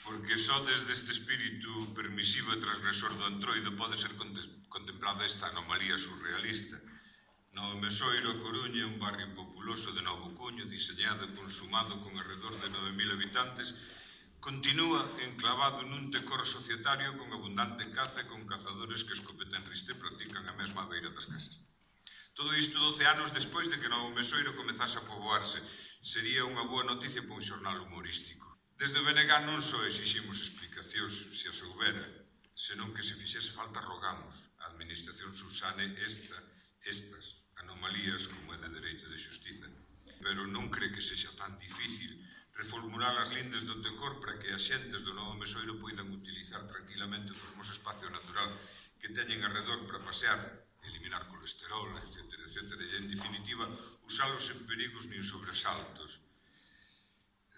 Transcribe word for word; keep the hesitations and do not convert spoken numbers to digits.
porque só desde este espírito permisivo e transgresor do Entroido pode ser contemplada esta anomalía surrealista. No Mesoiro, a Coruña, un barrio populoso de novo cuño, diseñado e consumado con alrededor de nove mil habitantes, continúa enclavado nun decoro societario con abundante caza e con cazadores que escopetan riste practican a mesma beira das casas. Todo isto doce anos despois de que Novo Mesoiro comezase a poboarse. Sería unha boa noticia para un xornal humorístico. Desde o B N G non só exiximos explicacións, se as houbera, senón que se fixese falta rogamos a administración subsane esta, estas anomalías como é de dereito de xustiza. Pero non cree que sexa tan difícil reformular as lindes do decor para que as xentes do Novo Mesoiro poidan utilizar tranquilamente o fermoso espacio natural que teñen alrededor para pasear, eliminar colesterol, etcétera, etcétera, e, en definitiva, usalos sen perigos nin sobresaltos.